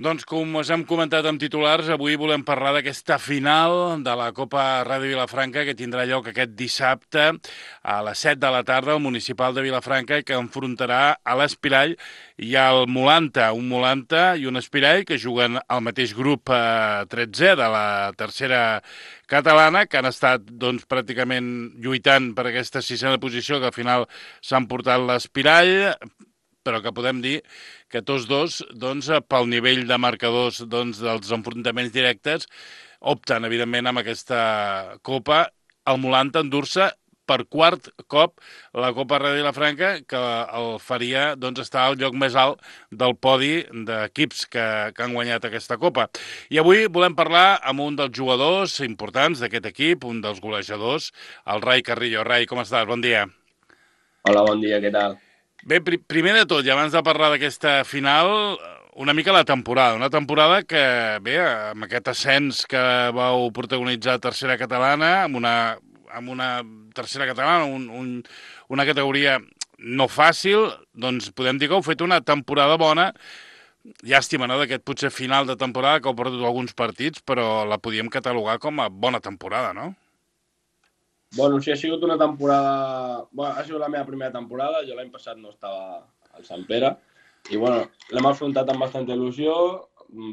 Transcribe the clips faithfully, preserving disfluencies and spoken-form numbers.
Doncs com us hem comentat amb titulars, avui volem parlar d'aquesta final de la Copa Ràdio Vilafranca que tindrà lloc aquest dissabte a les set de la tarda al Municipal de Vilafranca i que enfrontarà a l'Espirall i al Molanta, un Molanta i un Espirall que juguen al mateix grup eh, tretzè de la tercera catalana, que han estat doncs, pràcticament lluitant per aquesta sisena posició, que al final s'han portat l'Espirall, però que podem dir que tots dos, doncs, pel nivell de marcadors doncs, dels enfrontaments directes, opten, evidentment, amb aquesta Copa, el Molanta endur-se per quart cop la Copa Ràdio Vilafranca, que el faria doncs, estar al lloc més alt del podi d'equips que, que han guanyat aquesta Copa. I avui volem parlar amb un dels jugadors importants d'aquest equip, un dels golejadors, el Rai Carrillo. Rai, com estàs? Bon dia. Hola, bon dia, què tal? Bé, pri primer de tot, i abans de parlar d'aquesta final, una mica la temporada. Una temporada que, bé, amb aquest ascens que vau protagonitzar a tercera catalana, amb una, amb una tercera catalana, un, un, una categoria no fàcil, doncs podem dir que heu fet una temporada bona. Llàstima, no?, d'aquest potser final de temporada que heu perdut alguns partits, però la podíem catalogar com a bona temporada, no? Bueno, sí, ha sigut una temporada... Bueno, ha sigut la meva primera temporada, jo l'any passat no estava al Sant Pere, i bueno, l'hem afrontat amb bastanta il·lusió.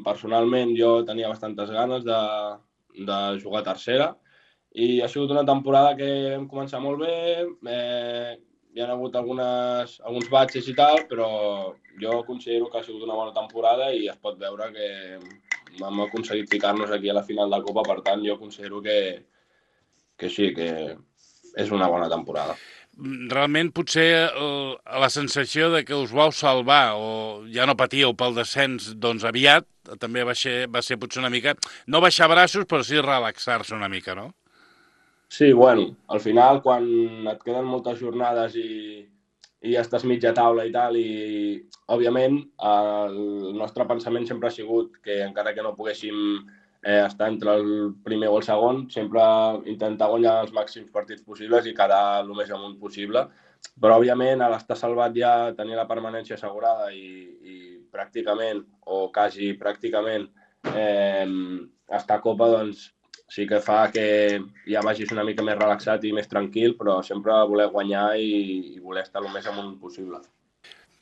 Personalment jo tenia bastantes ganes de, de jugar a tercera, i ha sigut una temporada que vam començar molt bé, eh, hi ha hagut algunes, alguns batxes i tal, però jo considero que ha sigut una bona temporada i es pot veure que hem aconseguit ficar-nos aquí a la final de Copa, per tant jo considero que que sí, que és una bona temporada. Realment potser el, la sensació de que us vau salvar o ja no patíeu pel descens doncs aviat, també va ser, va ser potser una mica, no baixar braços, però sí relaxar-se una mica, no? Sí, bueno, al final quan et queden moltes jornades i, i ja estàs mitja taula i tal, i òbviament el nostre pensament sempre ha sigut que encara que no poguéssim eh, estar entre el primer o el segon, sempre intentar guanyar els màxims partits possibles i quedar el més amunt possible. Però òbviament a l'estar salvat ja tenir la permanència assegurada i, i pràcticament, o quasi pràcticament, eh, estar a Copa, doncs sí que fa que ja vagis una mica més relaxat i més tranquil, però sempre voler guanyar i, i voler estar el més amunt possible.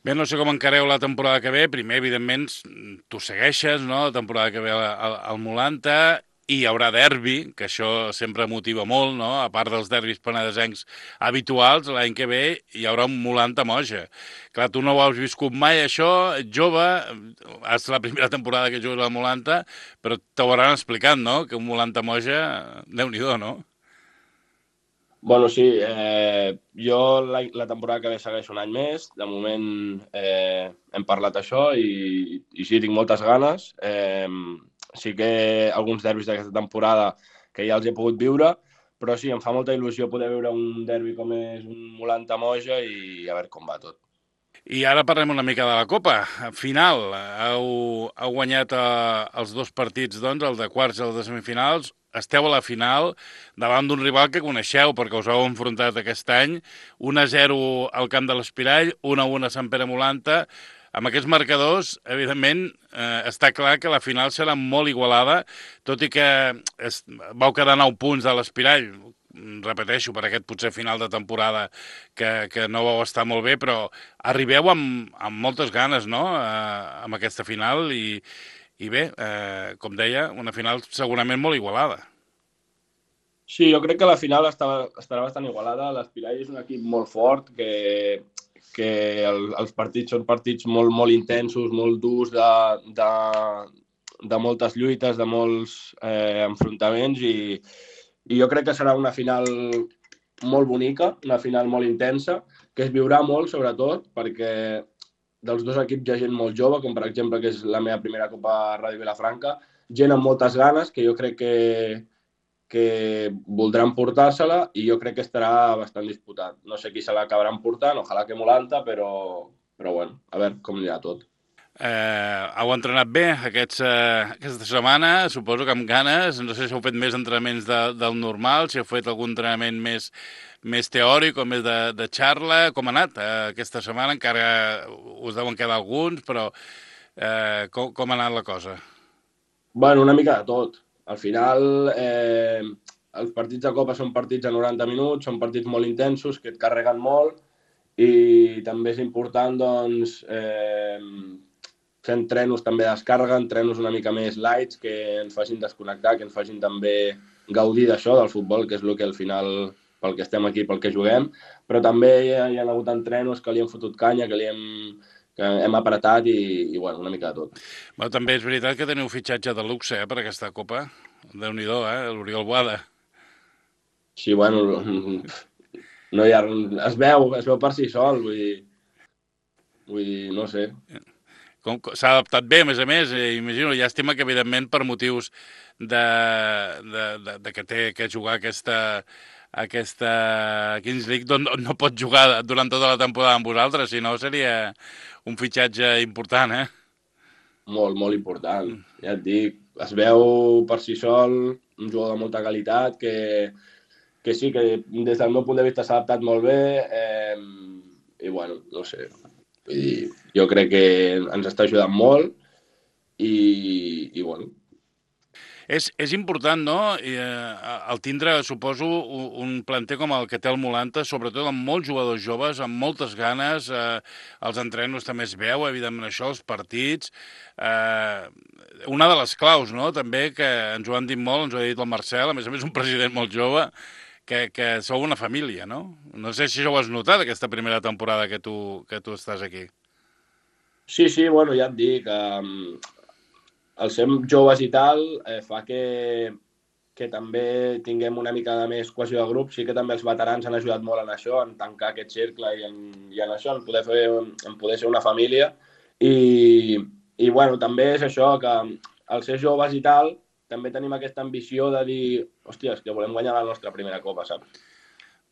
Bé, no sé com encareu la temporada que ve. Primer, evidentment, tu segueixes, no?, la temporada que ve al, al, al Molanta, i hi haurà derbi, que això sempre motiva molt, no?, a part dels derbis penedesencs habituals, l'any que ve hi haurà un Molanta-Moja. Clar, tu no ho has viscut mai, això, ets jove, és la primera temporada que jugues al Molanta, però t'ho hauran explicat, no?, que un Molanta-Moja, Déu-n'hi-do, no? Bueno, sí, eh, jo la, la temporada que ve segueixo un any més. De moment eh, hem parlat això i, i sí, tinc moltes ganes. Eh, sí que alguns derbis d'aquesta temporada que ja els he pogut viure, però sí, em fa molta il·lusió poder veure un derbi com és un Molanta-Moja i a veure com va tot. I ara parlem una mica de la Copa. Final, heu, heu guanyat eh, els dos partits, doncs, el de quarts i el de semifinals. Esteu a la final davant d'un rival que coneixeu perquè us heu enfrontat aquest any. un a zero al camp de l'Espirall, un a un a Sant Pere Molanta. Amb aquests marcadors, evidentment, eh, està clar que la final serà molt igualada, tot i que es, vau quedar nou punts de l'Espirall, repeteixo, per aquest potser final de temporada que, que no vau estar molt bé, però arribeu amb, amb moltes ganes, no?, eh, amb aquesta final i, i bé, eh, com deia, una final segurament molt igualada. Sí, jo crec que la final estarà, estarà bastant igualada. L'Espirall és un equip molt fort, que, que el, els partits són partits molt, molt intensos, molt durs, de, de, de moltes lluites, de molts eh, enfrontaments, i, i jo crec que serà una final molt bonica, una final molt intensa, que es viurà molt, sobretot, perquè dels dos equips hi ha gent molt jove, com per exemple que és la meva primera Copa Ràdio Vilafranca, gent amb moltes ganes, que jo crec que, que voldran portar-se-la i jo crec que estarà bastant disputat. No sé qui se l'acabaran portant, ojalà que Molanta, però, però bueno, a veure com anirà tot. Eh, heu entrenat bé aquests, eh, aquesta setmana, suposo que amb ganes. No sé si heu fet més entrenaments de, del normal, si heu fet algun entrenament més, més teòric o més de, de xarra. Com ha anat eh, aquesta setmana? Encara us deuen quedar alguns, però Eh, com, com ha anat la cosa? Bueno, una mica de tot. Al final, eh, els partits de Copa són partits de noranta minuts, són partits molt intensos, que et carreguen molt, i també és important, doncs, eh, fer entrenos també de descàrrega, entrenos una mica més lights, que ens facin desconnectar, que ens facin també gaudir d'això, del futbol, que és el que al final, pel que estem aquí, pel que juguem, però també hi ha, hi ha hagut entrenos que li hem fotut canya, que li hem, que hem apretat i, i bueno, una mica de tot. Bueno, també és veritat que teniu fitxatge de luxe eh, per aquesta Copa. Déu-n'hi-do, eh? L'Oriol Boada. Sí, bueno, no hi ha, es veu, es veu per si sol, vull dir, vull dir, no sé. S'ha adaptat bé, a més a més, eh, imagino, llàstima que, evidentment, per motius de, de, de, de que té que jugar aquesta, aquesta Kings League, doncs no, no pot jugar durant tota la temporada amb vosaltres, si no seria un fitxatge important, eh? Molt, molt important. Ja et dic, es veu per si sol, un jugador de molta qualitat, que, que sí, que des del meu punt de vista s'ha adaptat molt bé, eh, i bueno, no sé, vull dir, jo crec que ens està ajudant molt i, i bueno. És, és important, no?, I, eh, el tindre, suposo, un planter com el que té el Molanta, sobretot amb molts jugadors joves, amb moltes ganes, eh, els entrenos també es veu, evidentment això, els partits. Eh, una de les claus, no?, també, que ens ho han dit molt, ens ho ha dit el Marcel, a més a més un president molt jove, que, que sou una família, no? No sé si això ho has notat, aquesta primera temporada que tu, que tu estàs aquí. Sí, sí, bueno, ja et dic, eh, el ser joves i tal eh, fa que, que també tinguem una mica de més cohesió de grup. Sí que també els veterans han ajudat molt en això, en tancar aquest cercle i en, i en això, en poder, fer, en poder ser una família. I, i bueno, també és això, que al ser joves i tal, també tenim aquesta ambició de dir, hòstia, és que volem guanyar la nostra primera copa, saps?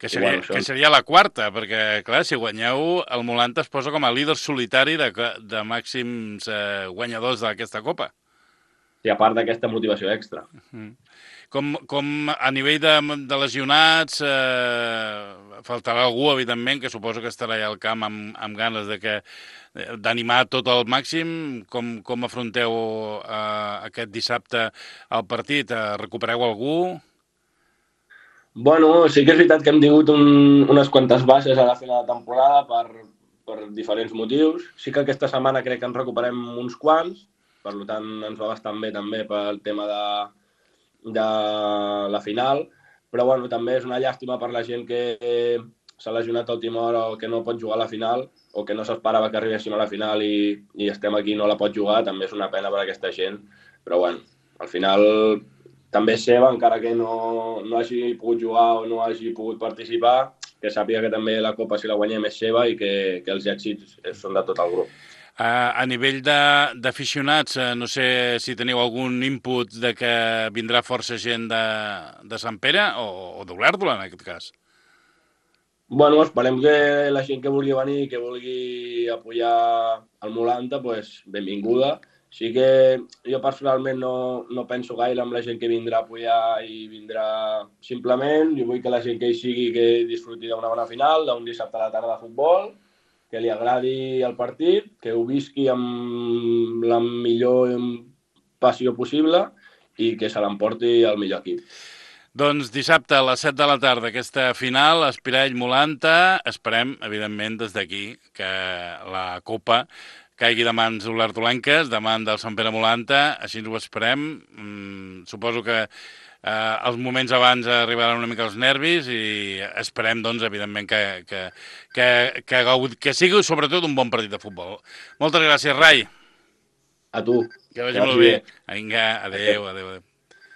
Que seria, bueno, que seria la quarta, perquè, clar, si guanyeu, el Molanta es posa com a líder solitari de, de màxims eh, guanyadors d'aquesta copa. I a part d'aquesta motivació extra. Com, com a nivell de, de lesionats, eh, faltarà algú, evidentment, que suposo que estarà allà al camp amb, amb ganes de que d'animar tot al màxim. Com, com afronteu eh, aquest dissabte el partit? Eh, recupereu algú? Bueno, sí que és veritat que hem tingut un, unes quantes baixes a la final de temporada per, per diferents motius. Sí que aquesta setmana crec que ens recuperem uns quants, per tant ens va bastant bé també pel tema de, de la final, però bueno, també és una llàstima per la gent que s'ha lesionat a última hora o que no pot jugar a la final o que no s'esperava que arribessin a la final i, i estem aquí i no la pot jugar, també és una pena per a aquesta gent, però bueno, al final també és seva, encara que no, no hagi pogut jugar o no hagi pogut participar, que sàpiga que també la Copa, si la guanyem, és seva i que, que els èxits són de tot el grup. Uh, a nivell d'aficionats, uh, no sé si teniu algun input de que vindrà força gent de, de Sant Pere o, o d'Olèrdola, en aquest cas. Bueno, esperem que la gent que vulgui venir, que vulgui apoyar el Molanta, pues, benvinguda. Sí que jo personalment no, no penso gaire amb la gent que vindrà a apoyar i vindrà simplement. Jo vull que la gent que hi sigui que disfruti d'una bona final, d'un dissabte a la tarda de futbol, que li agradi el partit, que ho visqui amb la millor passió possible i que se l'emporti el millor equip. Doncs dissabte a les set de la tarda, aquesta final, Espirall Molanta. Esperem, evidentment, des d'aquí, que la Copa caigui de mans olèrdolenques, de mans del Sant Pere Molanta. Així ens ho esperem. Mm, suposo que eh, els moments abans arribaran una mica els nervis i esperem, doncs, evidentment, que, que, que, que, que sigui sobretot un bon partit de futbol. Moltes gràcies, Rai. A tu. Que vagi molt bé. Vinga, adéu, adéu, adéu.